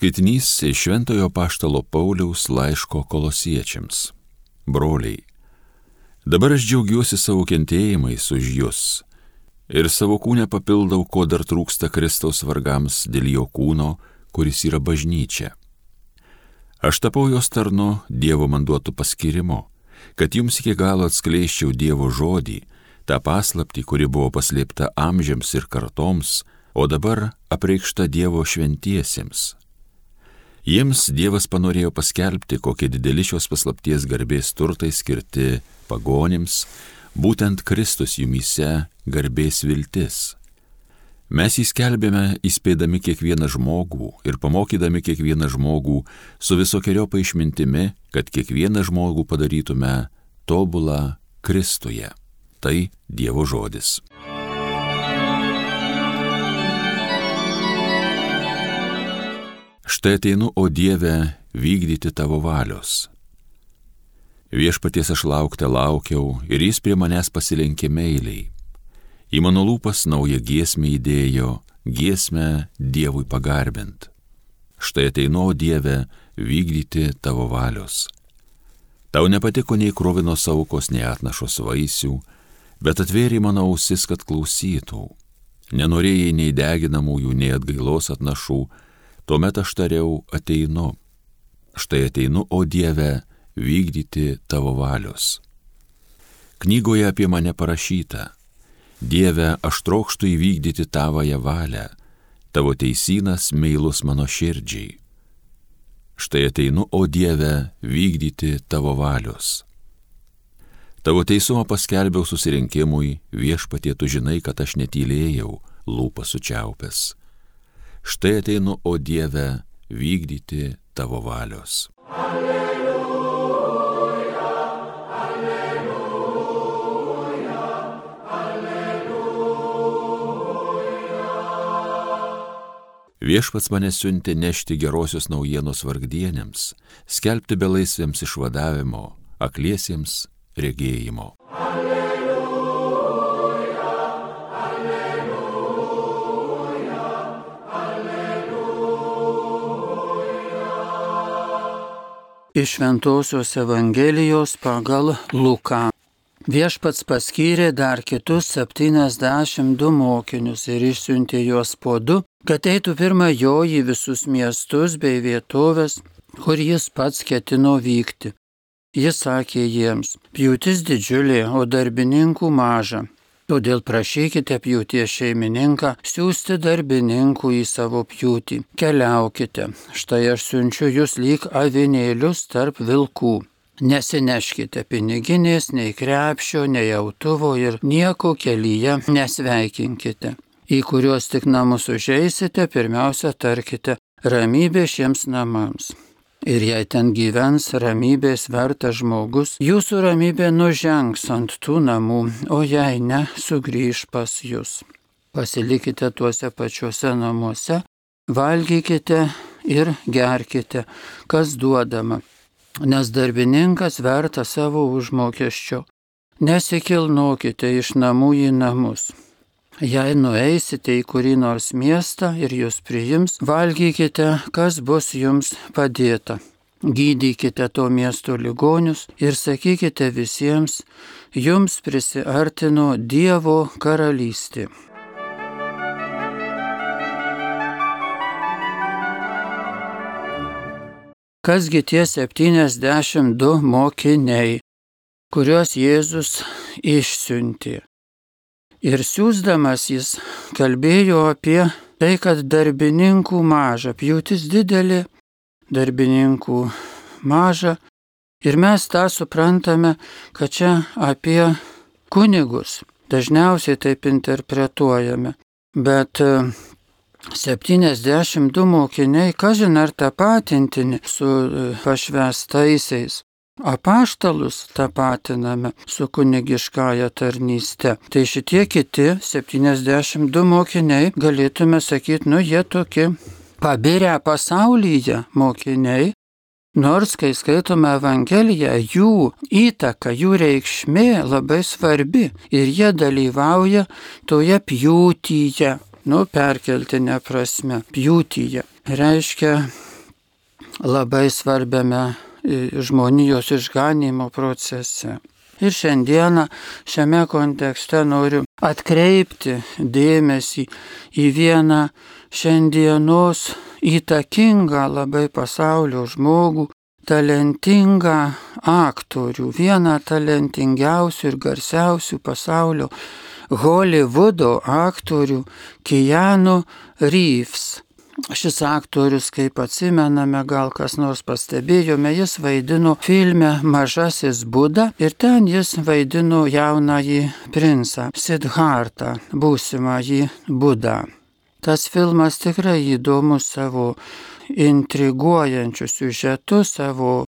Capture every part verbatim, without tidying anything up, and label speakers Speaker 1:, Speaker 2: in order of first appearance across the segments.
Speaker 1: Skaitinys iš Šventojo Apaštalo Pauliaus laiško Kolosiečiams. Broliai, dabar aš džiaugiuosi savo kentėjimais už jus ir savo kūne papildau, ko dar trūksta Kristaus vargams dėl jo kūno, kuris yra bažnyčia. Aš tapau jos tarnu Dievo man duotų paskirimo, kad jums iki galo atskleisčiau Dievo žodį, tą paslaptį, kuri buvo paslėpta amžiams ir kartoms, o dabar apreikšta Dievo šventiesiems. Jiems Dievas panorėjo paskelbti, kokie dideli šios paslapties garbės turtai skirti pagonims, būtent Kristus jumyse garbės viltis. Mes jį skelbėme įspėdami kiekvieną žmogų ir pamokydami kiekvieną žmogų su visokeriopą išmintimi, kad kiekvieną žmogų padarytume tobulą Kristuje. Tai Dievo žodis. Štai ateinu, o Dieve, vykdyti tavo valios. Viešpaties aš laukte laukiau ir jis prie manęs pasilenkė meiliai. Į mano lūpas naują giesmę įdėjo, giesmę Dievui pagarbint. Štai ateinu, o Dieve, vykdyti tavo valios. Tau nepatiko nei kruvinos aukos, nei atnašos vaisių, bet atvėrė mano ausis, kad klausytų. Nenorėjai nei deginamųjų, nei atgailos atnašų, tuomet aš tariau, ateinu. Štai ateinu, o Dieve, vykdyti tavo valios. Knygoje apie mane parašyta: Dieve, aš trokštu įvykdyti tavąją valią, tavo teisynas meilus mano širdžiai. Štai ateinu, o Dieve, vykdyti tavo valios. Tavo teisumą paskelbiau susirinkimui, Viešpatie, tu žinai, kad aš netylėjau, lūpas sučiaupęs. Štai ateinu, o Dieve, vykdyti tavo valios. Alleluja, alleluja, alleluja. Viešpats mane siuntė nešti gerosios naujienos vargdienėms, skelbti belaisvėms išvadavimo, akliesiems regėjimo.
Speaker 2: Iš Šventosios Evangelijos pagal Luką. Viešpats paskyrė dar kitus septyniasdešimt du mokinius ir išsiuntė juos po du, kad eitų pirma jo į visus miestus bei vietovės, kur jis pats ketino vykti. Jis sakė jiems: pjūtis didžiulė, o darbininkų maža. Todėl prašykite pjūties šeimininką siųsti darbininkų į savo pjūtį. Keliaukite, štai aš siunčiu jūs lyg avinėlius tarp vilkų. Nesineškite piniginės, nei krepšio, nei autuvo ir nieko kelyje nesveikinkite. Į kuriuos tik namus užeisite, pirmiausia tarkite: ramybė šiems namams. Ir jei ten gyvens ramybės vertas žmogus, jūsų ramybė nužengs ant tų namų, o jei ne, sugrįž pas jūs. Pasilikite tuose pačiuose namuose, valgykite ir gerkite, kas duodama, nes darbininkas verta savo užmokesčio. Nesikilnokite iš namų į namus. Jei nueisite į kurį nors miestą ir jūs priims, valgykite, kas bus jums padėta. Gydykite to miesto ligonius ir sakykite visiems: jums prisiartino Dievo karalystė. Kasgi tie septyniasdešimt du mokiniai, kuriuos Jėzus išsiuntė? Ir siųsdamas jis kalbėjo apie tai, kad darbininkų maža, pjūtis didelė, darbininkų maža. Ir mes tą suprantame, kad čia apie kunigus dažniausiai taip interpretuojame. Bet septyniasdešimt du mokiniai, kažin ar tapatintini su pašvęstaisiais. Apaštalus tapatiname su kunigiškąja tarnyste. Tai šitie kiti septyniasdešimt du mokiniai, galėtume sakyti, nu jie tokie pabirę pasaulyje mokiniai, nors kai skaitome Evangeliją, jų įtaka, jų reikšmė labai svarbi ir jie dalyvauja toje pjūtyje, nu perkeltinė prasme, pjūtyje. Reiškia, labai svarbiame žmonijos išganimo procese. Ir šiandieną šiame kontekste noriu atkreipti dėmesį į vieną šiandienos įtakingą labai pasaulio žmogų, talentingą aktorių, vieną talentingiausių ir garsiausių pasaulio Holivudo aktorių Keanu Reeves. Šis aktorius, kaip atsimename, gal kas nors pastebėjome, jis vaidino filme Mažasis Buda ir ten jis vaidino jaunąjį princą Sidhartą, būsimąjį Budą. Tas filmas tikrai įdomus savo intriguojančiu siužetu, savo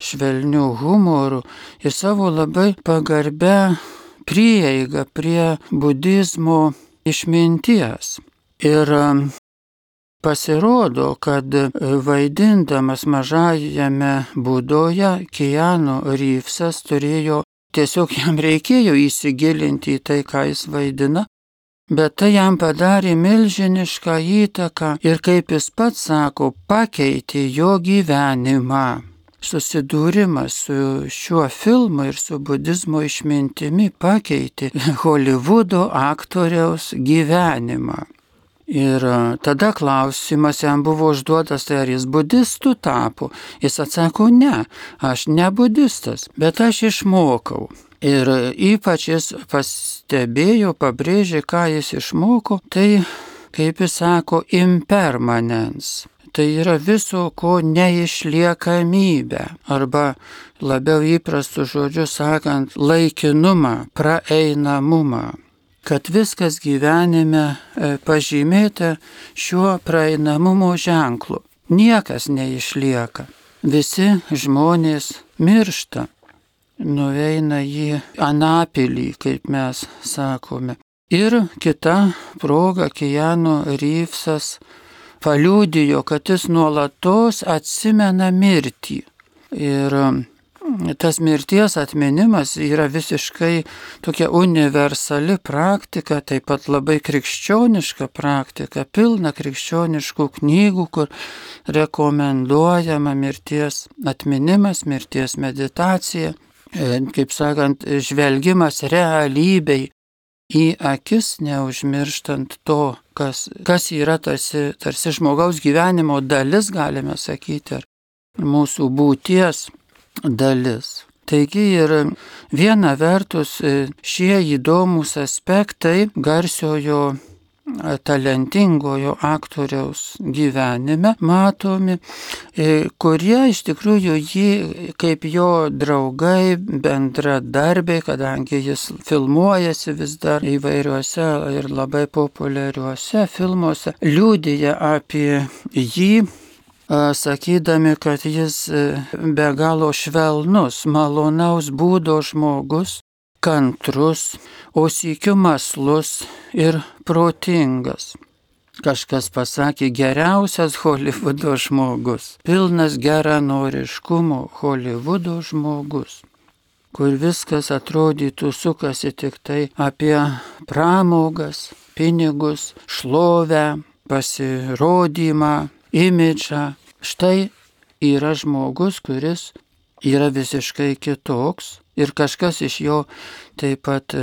Speaker 2: švelniu humoru ir savo labai pagarbia prieiga prie budizmo išminties. Ir pasirodo, kad vaidindamas mažajame Budoje, Keanu Reevesas turėjo, tiesiog jam reikėjo įsigilinti į tai, ką jis vaidina, bet tai jam padarė milžinišką įtaką ir, kaip jis pats sako, pakeitė jo gyvenimą. Susidūrimas su šiuo filmu ir su budizmo išmintimi pakeitė Holivudo aktoriaus gyvenimą. Ir tada klausimas jam buvo užduotas, tai ar jis budistų tapo. Jis atsako, ne, aš ne budistas, bet aš išmokau. Ir ypač jis pastebėjo, pabrėžė, ką jis išmoko, tai, kaip jis sako, impermanence. Tai yra viso ko neišliekamybė, arba labiau įprastų žodžių sakant, laikinumą, praeinamumą. Kad viskas gyvenime pažymėta šiuo praeinamumo ženklu. Niekas neišlieka. Visi žmonės miršta, nueina į anapilį, kaip mes sakome. Ir kita proga Keanu Reevesas paliudijo, kad jis nuolatos atsimena mirtį. Ir tas mirties atminimas yra visiškai tokia universali praktika, taip pat labai krikščioniška praktika, pilna krikščioniškų knygų, kur rekomenduojama mirties atminimas, mirties meditacija, kaip sakant, žvelgimas realybei į akis, neužmirštant to, kas, kas yra tarsi, tarsi žmogaus gyvenimo dalis, galime sakyti, ar mūsų būties dalis. Taigi ir viena vertus šie įdomus aspektai garsiojo talentingojo aktoriaus gyvenime matomi, kurie iš tikrųjų jį kaip jo draugai, bendradarbiai, kadangi jis filmuojasi vis dar įvairiuose ir labai populiariuose filmuose, liudija apie jį, sakydami, kad jis be galo švelnus, malonaus būdo žmogus, kantrus, o sykiu mąslus ir protingas. Kažkas pasakė, geriausias Holivudo žmogus, pilnas geranoriškumo Holivudo žmogus, kur viskas atrodytų sukasi tik tai apie pramogas, pinigus, šlovę, pasirodymą, imidžą. Štai yra žmogus, kuris yra visiškai kitoks ir kažkas iš jo taip pat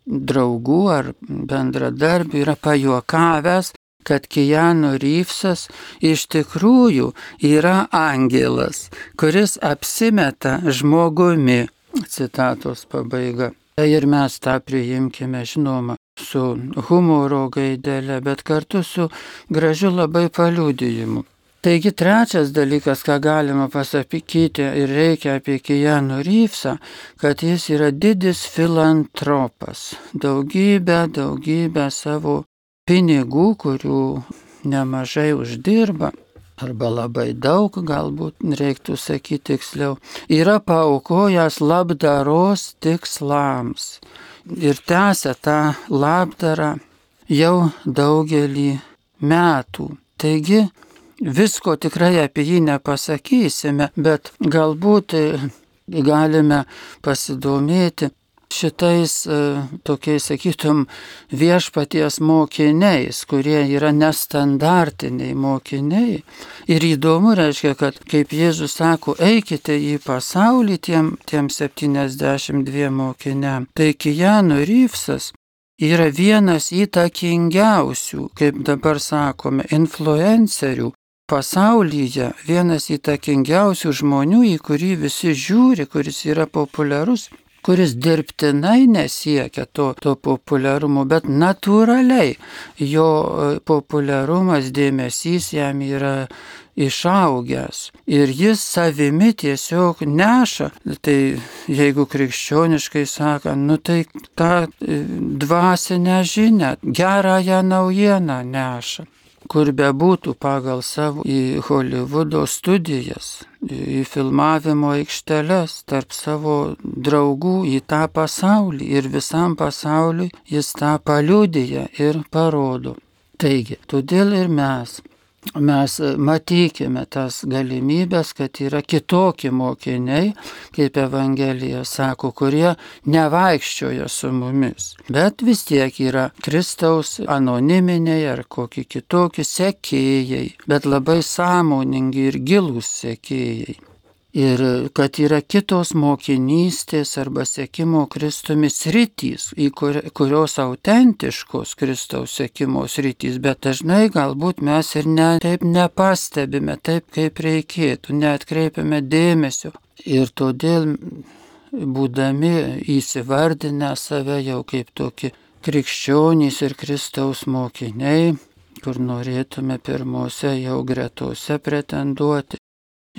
Speaker 2: draugų ar bendradarbių yra pajuokavęs, kad Keanu Reevesas iš tikrųjų yra angelas, kuris apsimeta žmogumi. Citatos pabaiga. Ir mes tą priimkime, žinoma, su humoro gaidelė, bet kartu su gražiu labai paliudijimu. Taigi trečias dalykas, ką galima pasakyti ir reikia apie Keanu Reevesą, kad jis yra didis filantropas. Daugybę, daugybę savo pinigų, kurių nemažai uždirba, arba labai daug, galbūt reiktų sakyti tiksliau, yra paaukojęs labdaros tikslams. Ir tęsia tą labdarą jau daugelį metų. Taigi, visko tikrai apie jį nepasakysime, bet galbūt galime pasidomėti, šitais tokiais, sakytum, viešpaties mokiniais, kurie yra nestandartiniai mokiniai. Ir įdomu, reiškia, kad kaip Jėzus sako, eikite į pasaulį tiem, tiem septyniasdešimt dviem mokiniam. Tai Keanu Reevesas yra vienas įtakingiausių, kaip dabar sakome, influencerių pasaulyje, vienas įtakingiausių žmonių, į kurį visi žiūri, kuris yra populiarus, kuris dirbtinai nesiekia to, to populiarumo, bet natūraliai jo populiarumas, dėmesys jam yra išaugęs. Ir jis savimi tiesiog neša, tai jeigu krikščioniškai sakant, nu tai tą dvasinę žinią, gerąją naujieną neša. Kur bebūtų pagal savo į Holivudo studijas, į filmavimo aikšteles, tarp savo draugų į tą pasaulį ir visam pasauliui jis tą paliudija ir parodo. Taigi, todėl ir mes. Mes matykime tas galimybės, kad yra kitokie mokiniai, kaip Evangelija sako, kurie nevaikščioja su mumis, bet vis tiek yra Kristaus anoniminiai ar kokie kitokie sekėjai, bet labai sąmoningi ir gilūs sekėjai. Ir kad yra kitos mokinystės arba sekimo Kristumi sritys, į kur, kurios autentiškos Kristaus sekimo sritys, bet dažnai galbūt mes ir ne, taip nepastebime, taip kaip reikėtų, neatkreipiame dėmesio. Ir todėl, būdami įsivardinę save jau kaip tokie krikščionys ir Kristaus mokiniai, kur norėtume pirmose jau gretose pretenduoti,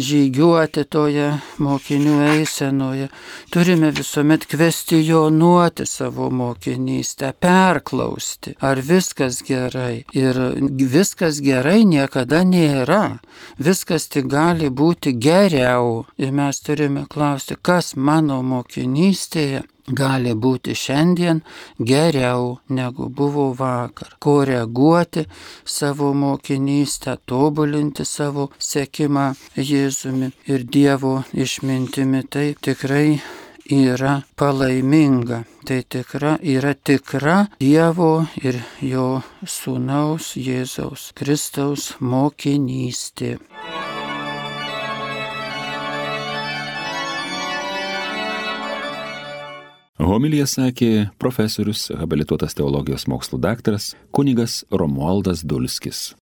Speaker 2: žygiuoti toje mokinių eisenoje, turime visuomet kvestionuoti savo mokinystę, perklausti, ar viskas gerai. Ir viskas gerai niekada nėra, viskas tik gali būti geriau. Ir mes turime klausti, kas mano mokinystėje gali būti šiandien geriau negu buvo vakar. Koreguoti savo mokinystę, tobulinti savo sekimą Jėzumi ir Dievo išmintimi. Tai tikrai yra palaiminga. Tai tikra, yra tikra Dievo ir jo sūnaus Jėzaus Kristaus mokinystė.
Speaker 1: Homiliją sakė profesorius, habilituotas teologijos mokslų daktaras kunigas Romualdas Dulskis.